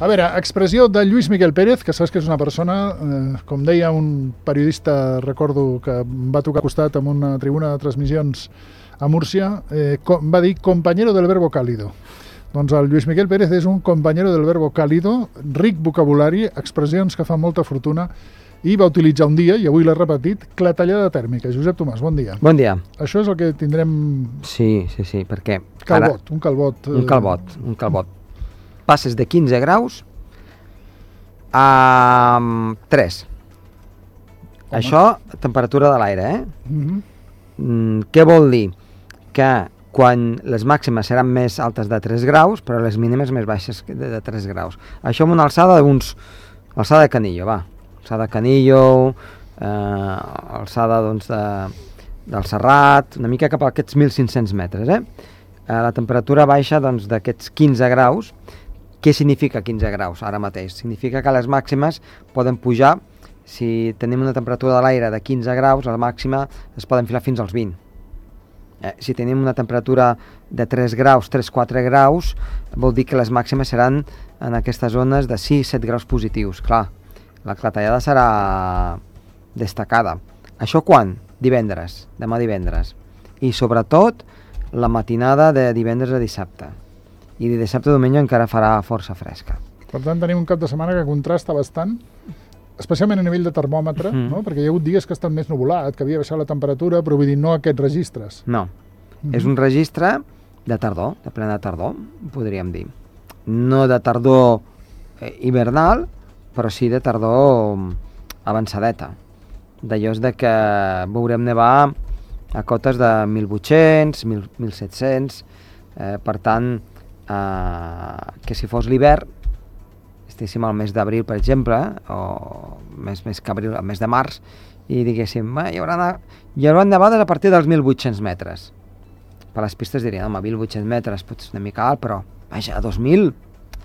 A veure, expressió de Lluís Miquel Pérez, que saps que és una persona, com deia un periodista, recordo que em va tocar costat en una tribuna de transmissions a Múrcia, va dir compañero del verbo cálido. Doncs el Lluís Miquel Pérez és un compañero del verbo cálido, ric vocabulari, expressions que fan molta fortuna, i va utilitzar un dia, i avui l'ha repetit, clatellada tèrmica. Josep Tomàs, bon dia. Bon dia. Això és el que tindrem... Sí, perquè... Calbot, un calbot. Un calbot. Passes de 15 graus a 3. Home. Això, temperatura de l'aire, Què vol dir? Que quan les màximes seran més altes de 3 graus, però les mínimes més baixes de 3 graus. Això amb una alçada alçada de Canillo, va. Alçada de Canillo, alçada doncs del Serrat, una mica cap a aquests 1.500 metres, La temperatura baixa doncs d'aquests 15 graus. Què significa 15 graus ara mateix? Significa que les màximes poden pujar, si tenim una temperatura de l'aire de 15 graus, la màxima es poden filar fins als 20. Si tenim una temperatura de 3 graus, 3-4 graus, vol dir que les màximes seran en aquestes zones de 6-7 graus positius. Clar, la clatellada serà destacada. Això quan? Divendres, demà divendres. I sobretot la matinada de divendres a dissabte. I de dissabte a diumenge encara farà força fresca. Per tant, tenim un cap de setmana que contrasta bastant, especialment a nivell de termòmetre, no? Perquè hi ha hagut dies que ha estat més nuvolat, que havia baixat la temperatura, però vull dir, no aquests registres. No, és un registre de tardor, de plena tardor, podríem dir. No de tardor hivernal, però sí de tardor avançadeta. D'allò és de que veurem nevar a cotes de 1.800, 1.700, per tant, que si fos l'hivern, estiguéssim al mes d'abril, per exemple, o més que abril, al mes de març, i diguéssim, hi haurà nevades a partir dels 1.800 metres. Per les pistes dirien, home, 1.800 metres potser és una mica alt, però vaja, a 2.000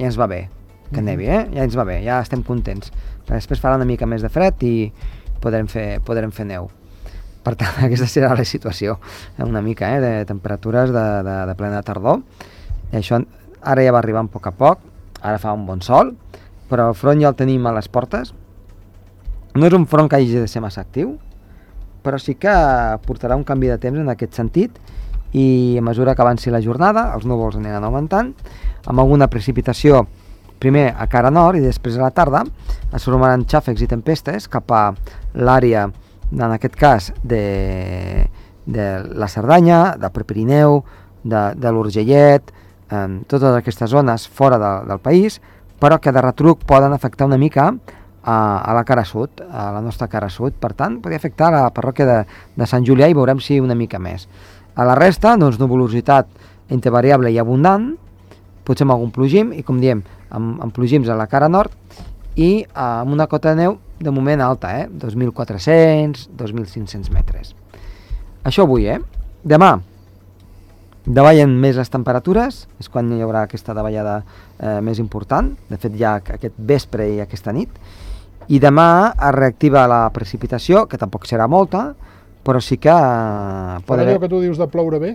ja ens va bé, que nevi, ja ens va bé, ja estem contents. Però després farà una mica més de fred i podrem fer neu. Per tant, aquesta serà la situació, una mica, de temperatures de plena tardor. I això ara ja va arribar a poc, ara fa un bon sol, però el front ja el tenim a les portes. No és un front que hagi de ser massa actiu, però sí que portarà un canvi de temps en aquest sentit, i a mesura que avanci la jornada els núvols aniran augmentant, amb alguna precipitació primer a cara nord i després a la tarda es formaran xàfecs i tempestes cap a l'àrea, en aquest cas de la Cerdanya, del Prepirineu, de l'Urgellet, totes aquestes zones fora del país, però que de retruc poden afectar una mica a la cara sud, a la nostra cara sud. Per tant, podria afectar la parròquia de Sant Julià i veurem si una mica més. A la resta, doncs, nuvolositat entre variable i abundant, potser amb algun plogim, i com diem, amb plogims a la cara nord, i amb una cota de neu de moment alta, 2.400, 2.500 metres. Això avui, Demà davallen més les temperatures, és quan hi haurà aquesta davallada més important, de fet ja aquest vespre i aquesta nit, i demà es reactiva la precipitació, que tampoc serà molta, però sí que... Però allò que tu dius de ploure bé?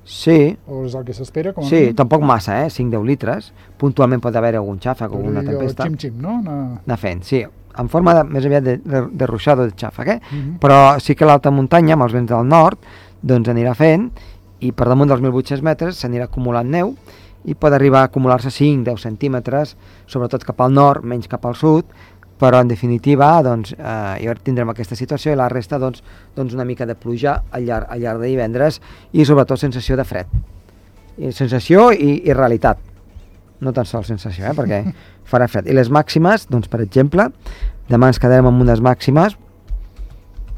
Sí. O és el que s'espera? Sí, tampoc massa, 5-10 litres. Puntualment pot haver algun xàfec o alguna tempesta. Xim-xim, no? Anar fent, sí. En forma més aviat de ruixada de xàfec, Però sí que l'alta muntanya, amb els vents del nord, doncs anirà fent, i per damunt dels 1.800 metres s'anirà acumulant neu, i pot arribar a acumular-se 5-10 centímetres, sobretot cap al nord, menys cap al sud, però en definitiva doncs, ja tindrem aquesta situació, i la resta doncs una mica de pluja al llarg de divendres, i sobretot sensació de fred. Sensació i realitat. No tan sols sensació, perquè farà fred. I les màximes, doncs, per exemple, demà ens quedarem amb unes màximes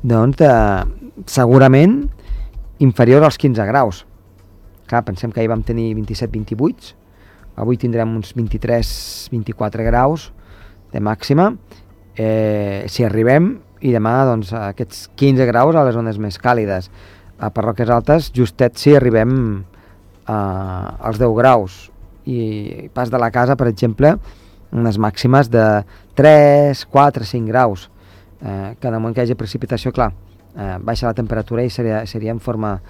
doncs, segurament inferior als 15 graus. Clar, pensem que ahir vam tenir 27-28, avui tindrem uns 23-24 graus de màxima, si arribem, i demà doncs, aquests 15 graus a les zones més càlides. A parròquies altes, justet si arribem als 10 graus, i pas de la casa, per exemple, unes màximes de 3, 4, 5 graus, que en el moment que hi hagi precipitació, clar, baixa la temperatura i seria en forma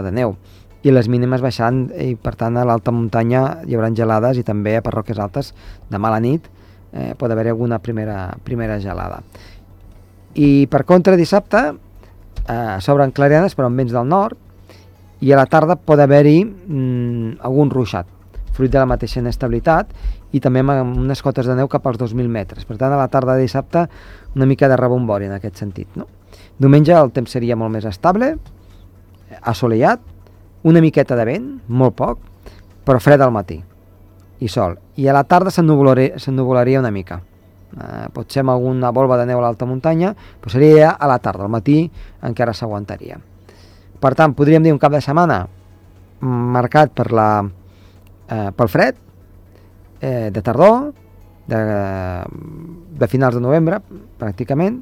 de neu. i les mínimes baixant, i per tant a l'alta muntanya hi haurà gelades, i també a parròquies altes demà a la nit pot haver-hi alguna primera gelada. I per contra, dissabte s'obren clarianes però amb vents del nord, i a la tarda pot haver-hi algun ruixat, fruit de la mateixa inestabilitat, i també amb unes cotes de neu cap als 2.000 metres. Per tant, a la tarda de dissabte una mica de rebombori en aquest sentit, no? Diumenge el temps seria molt més estable, assolellat, una miqueta de vent, molt poc, però fred al matí, i sol. I a la tarda s'ennuvolaria una mica. Potser amb alguna volva de neu a l'alta muntanya, però seria a la tarda, al matí encara s'aguantaria. Per tant, podríem dir un cap de setmana marcat pel fred, de tardor, de finals de novembre, pràcticament,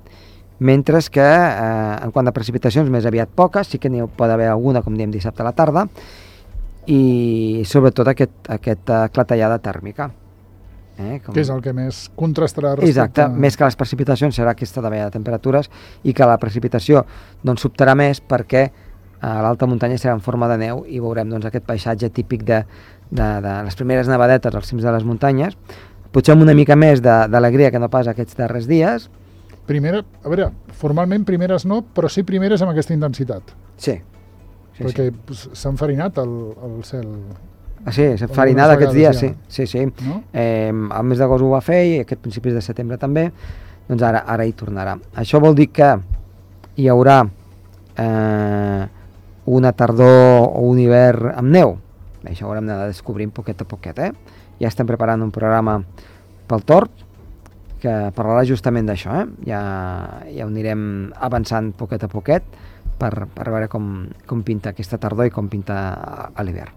mentre que en quant a precipitacions més aviat poques, sí que n'hi pot haver alguna, com diem, dissabte a la tarda, i sobretot aquesta clatellada tèrmica. Que és el que més contrastarà respecte... Exacte, més que les precipitacions serà aquesta davallada de temperatures, i que la precipitació doncs sobtarà més perquè a l'alta muntanya serà en forma de neu, i veurem doncs aquest paisatge típic de les primeres nevadetes als cims de les muntanyes, potser amb una mica més d'alegria que no pas aquests darrers dies. A veure, formalment primeres no, però sí primeres amb aquesta intensitat. Sí. Perquè s'ha enfarinat el cel. Sí, s'ha enfarinat aquests dies, ja. sí. No? El mes d'agost ho va fer, i aquest principis de setembre també, doncs ara hi tornarà. Això vol dir que hi haurà una tardor o un hivern amb neu. Això ho haurem d'anar descobrint poquet a poquet. Ja estem preparant un programa pel Tord, que parlarà justament d'això. Ja ho anirem avançant poquet a poquet per veure com pinta aquesta tardor i com pinta a l'hivern.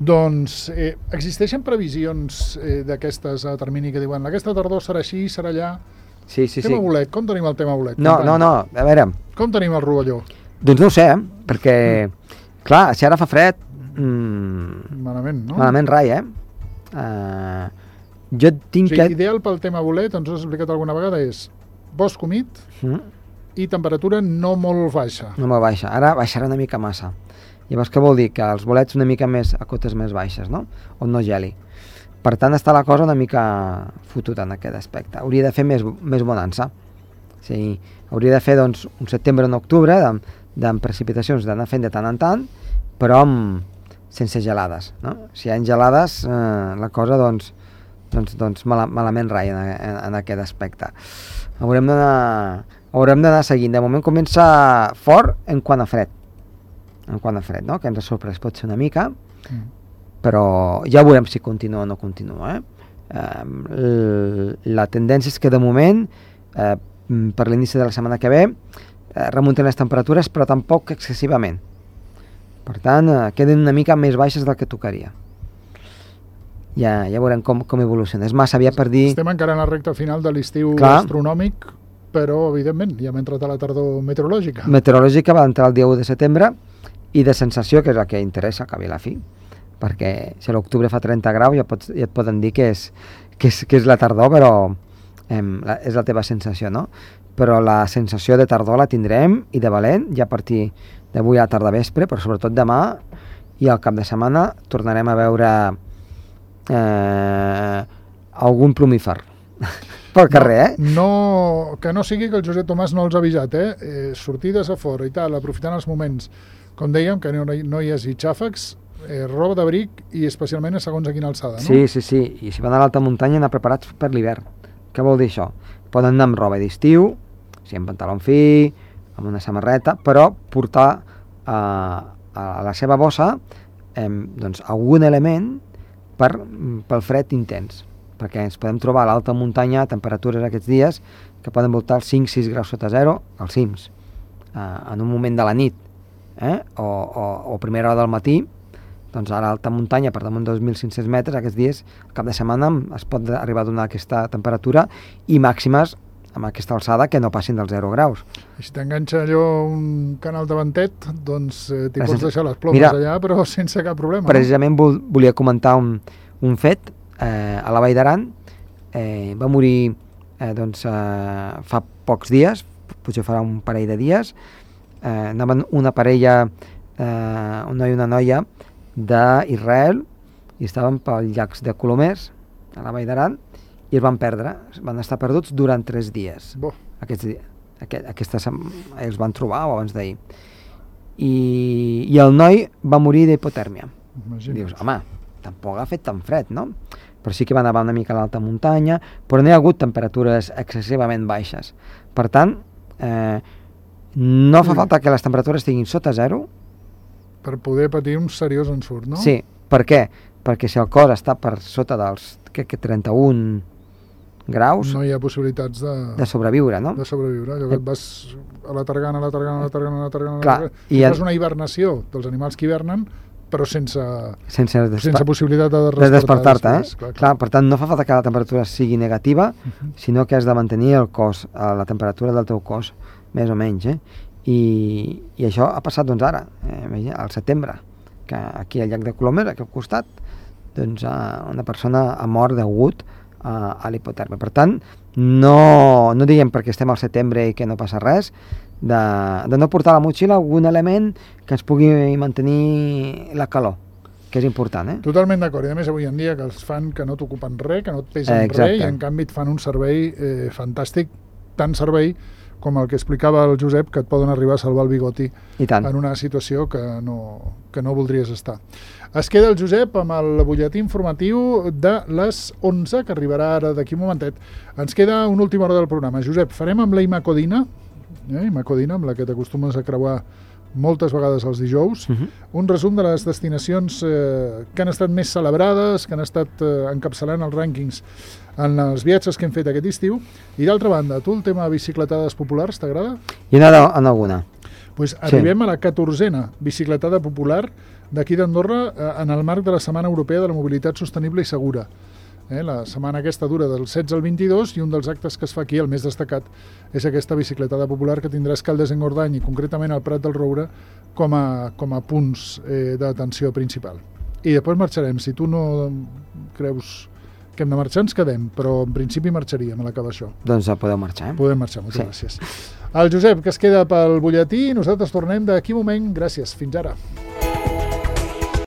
Doncs existeixen previsions d'aquestes a termini que diuen aquesta tardor serà així, serà allà? Sí. Tema bolet, com tenim el tema bolet? No, a veure... Com tenim el rovelló? Doncs no ho sé, perquè, clar, si ara fa fred... Malament, no? Malament rai, jo tinc que... Ideal pel tema bolet, ens ho has explicat alguna vegada, és bosc humit i temperatura no molt baixa. No molt baixa, ara baixarà una mica massa. Llavors què vol dir? Que els bolets una mica més a cotes més baixes, no? On no geli. Per tant, està la cosa una mica fotuda en aquest aspecte. Hauria de fer més bonança. Sí, hauria de fer doncs, un setembre o un octubre de precipitacions d'anar fent de tant en tant, però sense gelades, no? Si hi ha gelades, la cosa doncs malament rai en aquest aspecte. Haurem d'anar seguint. De moment comença fort en quant a fred, no? Que ens ha sorprès pot ser una mica, però ja veurem si continua o no continua. La tendència és que de moment, per l'inici de la setmana que ve, remunten les temperatures, però tampoc excessivament. Per tant, queden una mica més baixes del que tocaria. Ja veurem com evoluciona. És massa aviat per dir... Estem encara en la recta final de l'estiu astronòmic, però, evidentment, ja hem entrat a la tardor meteorològica. Meteorològica va entrar el dia 1 de setembre, i de sensació, que és el que interessa, que ve la fi, perquè si a l'octubre fa 30 graus ja et poden dir que és la tardor, però és la teva sensació, no? Però la sensació de tardor la tindrem, i de valent, ja a partir d'avui a la tarda vespre, però sobretot demà i al cap de setmana tornarem a veure algun plumífer pel carrer, que no sigui que el Josep Tomàs no els ha avisat, sortides a fora i tal, aprofitant els moments, com dèiem, que no hi hagi xàfecs, roba d'abric, i especialment segons a quina alçada, no? Sí, i si van a l'alta muntanya anar preparats per l'hivern. Què vol dir això? Poden anar amb roba d'estiu, amb pantaló fi, amb una samarreta, però portar a la seva bossa algun element pel fred intens, perquè ens podem trobar a l'alta muntanya temperatures aquests dies que poden voltar els 5-6 graus sota zero als cims, en un moment de la nit, o primera hora del matí. Doncs a l'alta muntanya, per damunt de 2.500 metres, aquests dies, al cap de setmana, es pot arribar a donar aquesta temperatura, i màximes amb aquesta alçada que no passin dels 0 graus. I si t'enganxa allò un canal de ventet, doncs t'hi pots deixar les plomes allà, però sense cap problema. Precisament volia comentar un fet. A la Vall d'Aran va morir fa pocs dies, potser farà un parell de dies, anaven una parella un noi i una noia d'Israel i estaven pels llacs de Colomers, a la Vall d'Aran, i es van perdre, van estar perduts durant 3 dies. Bo. Els van trobar abans d'ahir. I el noi va morir d'hipotèrmia. Dius, home, tampoc ha fet tan fred, no? Però sí que va nevar una mica a l'alta muntanya, però no hi ha hagut temperatures excessivament baixes. Per tant, no fa falta que les temperatures estiguin sota zero per poder patir un seriós ensurt, no? Sí, per què? Perquè si el cos està per sota dels 31 graus... No hi ha possibilitats de sobreviure, no? De sobreviure, allò que et vas alatargant, Clar, i fas una hivernació dels animals que hivernen, però sense possibilitat de despertar-te, Clar, per tant, no fa falta que la temperatura sigui negativa, sinó que has de mantenir el cos, la temperatura del teu cos, més o menys, I això ha passat, doncs, ara, al setembre, que aquí al llac de Colomer, aquí al costat, doncs una persona ha mort degut a l'hipotèrmia. Per tant, no diguem perquè estem al setembre i que no passa res, de no portar a la motxilla algun element que ens pugui mantenir la calor, que és important, Totalment d'acord, i a més avui en dia que els fan que no t'ocupen res, que no et pesen res, i en canvi et fan un servei fantàstic, tant servei com el que explicava el Josep, que et poden arribar a salvar el bigoti en una situació que no voldries estar. Es queda el Josep amb el butlletí informatiu de les 11, que arribarà ara d'aquí un momentet. Ens queda una última hora del programa. Josep, farem amb la Imacodina, amb la que t'acostumes a creuar moltes vegades els dijous, un resum de les destinacions que han estat més celebrades, que han estat encapçalant els rànquings en els viatges que hem fet aquest estiu. I d'altra banda, tu el tema de bicicletades populars t'agrada? I en alguna. Pues arribem a la 14a bicicletada popular d'aquí d'Andorra en el marc de la Setmana Europea de la Mobilitat Sostenible i Segura. La setmana aquesta dura del 16 al 22 i un dels actes que es fa aquí, el més destacat, és aquesta bicicletada popular que tindrà Escaldes-Engordany i concretament el Prat del Roure com a punts d'atenció principal. I després marxarem. Si tu no creus que hem de marxar, ens quedem, però en principi marxaríem a l'acabar això. Doncs podeu marxar, Podem marxar, moltes gràcies. El Josep, que es queda pel butlletí, nosaltres tornem d'aquí un moment. Gràcies, fins ara.